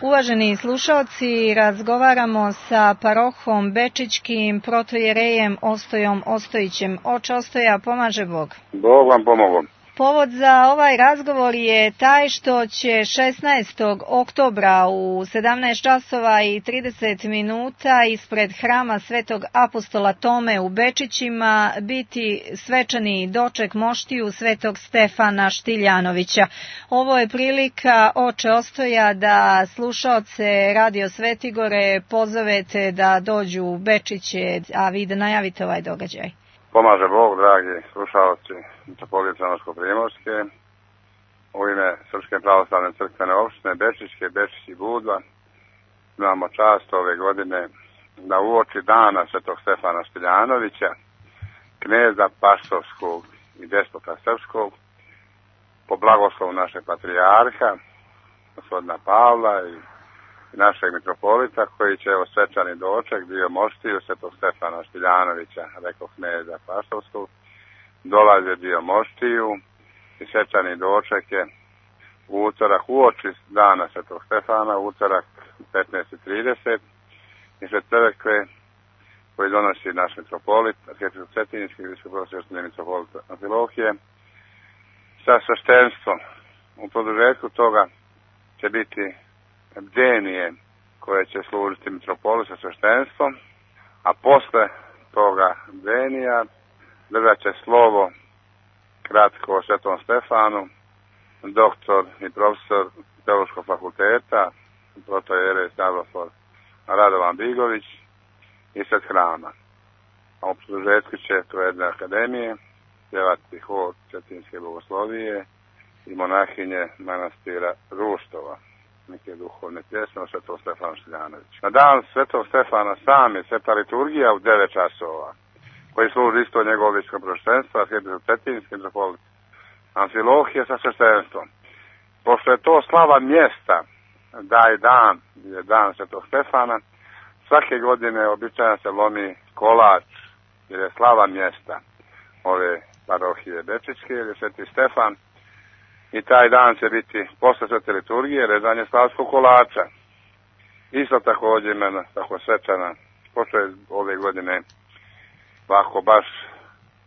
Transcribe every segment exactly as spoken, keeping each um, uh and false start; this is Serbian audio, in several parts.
Uvaženi slušalci, razgovaramo sa parohom Bečićkim protojerejem Ostojom Ostojićem. Oče Ostoja, pomaže Bog. Bog vam pomogao. Povod za ovaj razgovor je taj što će šesnaestog oktobra u sedamnaest časova i trideset minuta ispred hrama Svetog apostola Tome u Bečićima biti svečani doček moštiju Svetog Stefana Štiljanovića. Ovo je prilika, oče Ostoja, da slušaoce Radio Svetigore pozovete da dođu u Bečiće, a vi da najavite ovaj događaj. Pomaže Bog, dragi slušalci Mitropolije Crnogorsko-primorske, u ime Srpske pravoslavne crkvene opštine Bečićke, Bečić i Budva, imamo čast ove godine da uoči dana Svetog Stefana Štiljanovića, kneza Paštovskog i despota srpskog, po blagoslovu našeg patrijarha, gospodina Pavla i našeg mitropolita, koji će evo svečani doček dio moštiju Svetog Stefana Štiljanovića, rekao kneza Paštovskog, dolaze dio moštiju i svečani doček je u utorak uoči dana Svetog Stefana, utorak petnaest i trideset, ispred crkve koji donosi naš mitropolit, arhijepiskop Cetinjski, visokoprosveštenje mitropolit Amfilohije, sa sveštenstvom. U produžetku toga će biti bdenije koje će služiti mitropolit sa sveštenstvom, a posle toga bdenija držat će slovo kratko o Svetom Stefanu doktor i profesor Teološkog fakulteta, protojerej Stavrofor Radovan Bigović ispred hrama. A u produžetku će to jedne akademije pjevati hor Cetinjske bogoslovije i monahinje manastira Ruštova, neke duhovne pjesme o Svetom Stefanu Štiljanoviću. Na dan Svetog Stefana sam je sveta liturgija u devet časova, koji služi isto njegovo visokoprosveštenstvo, arhijepiskop Cetinjski, mitropolit Amfilohije sa sveštenstvom. Pošto je to slava mjesta, da je dan, je dan Svetog Stefana, svake godine običajno se lomi kolač, jer je slava mjesta ove parohije Bečićke, jer je Sveti Stefan, i taj dan će biti posle svete liturgije rezanje slavskog kolača. Isto također imena, tako svečana, pošto je ove godine ovako baš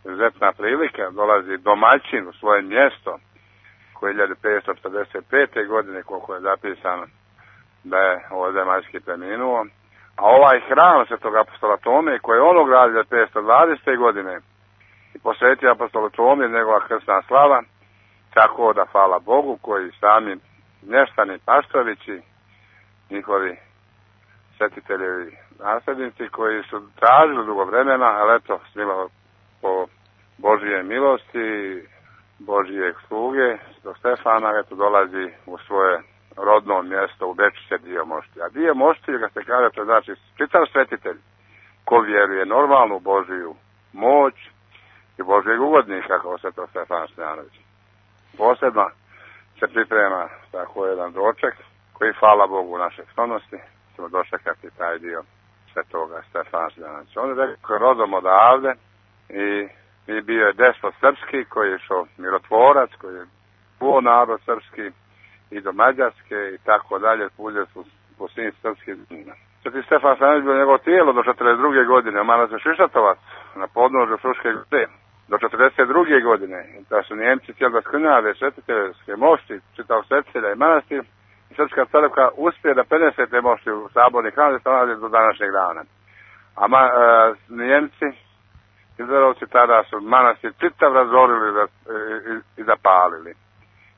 izuzetna prilika, dolazi domaćin u svoje mjesto, koje je hiljadu petsto četrdeset pete godine, koliko je zapisano da je ovozemaljski preminuo, a ovaj hram Svetog apostola Tome, koji je on gradio hiljadu petsto dvadesete godine i posvetio apostolu Tome njegova krstna slava, tako da hvala Bogu koji sami mještani Paštovići, njihovi svetiteljevi nasljednici koji su tražili dugo vremena, ali eto, snimalo po Božije milosti, Božijeg sluge, Svetog Stefana, eto dolazi u svoje rodno mjesto u Bečiće dio moštija. A dio moštija, ga se kaže, to znači čitav svetitelj ko vjeruje normalnu Božiju moć i Božijeg ugodnika kao Svetog Stefana Štiljanovića. Posebno se priprema tako jedan doček koji, hvala Bogu, u našoj sklonosti ćemo dočekati taj dio Svetoga Stefana Štiljanovića. On je rekao rodom odavde i, i bio je despot srpski koji je išao mirotvorac, koji je buo narod srpski i do Mađarske i tako dalje, puđe su po svim srpskim zemljama. Sveti Stefan Štiljanović bio njegovo tijelo do četrdeset druge godine u manastiru Šišatovac na podnožju Fruške gore. Do četrdeset druge godine, da su Njemci htjeli da skrnjave svetiteljske mošti, čitav svetitelja i manastir, i Srpska crkva uspije da prenese te mošti u saborni hram da se nalazi do današnjeg dana. A ma, e, Njemci, Hitlerovci, tada su manastir čitav razorili da, i, i zapalili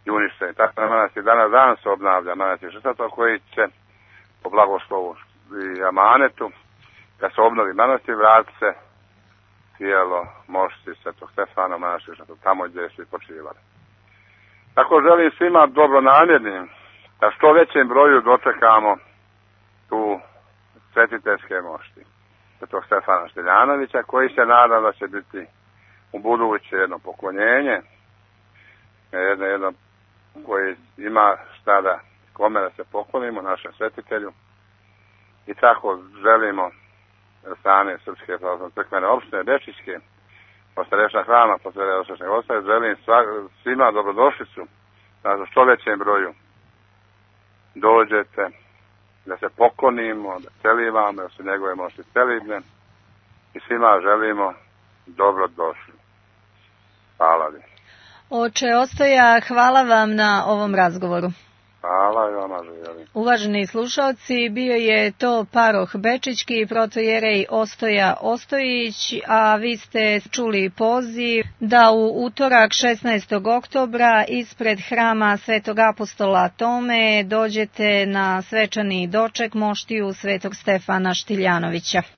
i uništeni. Tako da manastir danas dan se obnavlja, manastir Šišatov, koji će po blagoslovu i amanetu, kad se obnovi manastir, vrati se tijelo mošti Svetog Stefana manastir tamo gdje su i počivali. Tako želim svima dobronamjernim da što većem broju dočekamo tu svetiteljske mošti Svetog Stefana Štiljanovića, koji se nada da će biti u buduće jedno poklonjenje, jedno, jedno koji ima šta da kome da se poklonimo, našem svetitelju, i tako želimo strane Srpske pravoslavne crkvene opštine Bečićke, postarešna hrama, postarešna ostaje, želim sva, svima dobrodošlicu, na što većem broju dođete da se poklonimo, da celivamo, da su njegove moći celibne i svima želimo dobro došli. Hvala vi. Oče Ostoja, hvala vam na ovom razgovoru. Hvala i vama želim. Uvaženi slušalci, bio je to paroh Bečićki, protojerej Ostoja Ostojić, a vi ste čuli poziv da u utorak šesnaestog oktobra ispred hrama Svetog apostola Tome dođete na svečani doček moštiju Svetog Stefana Štiljanovića.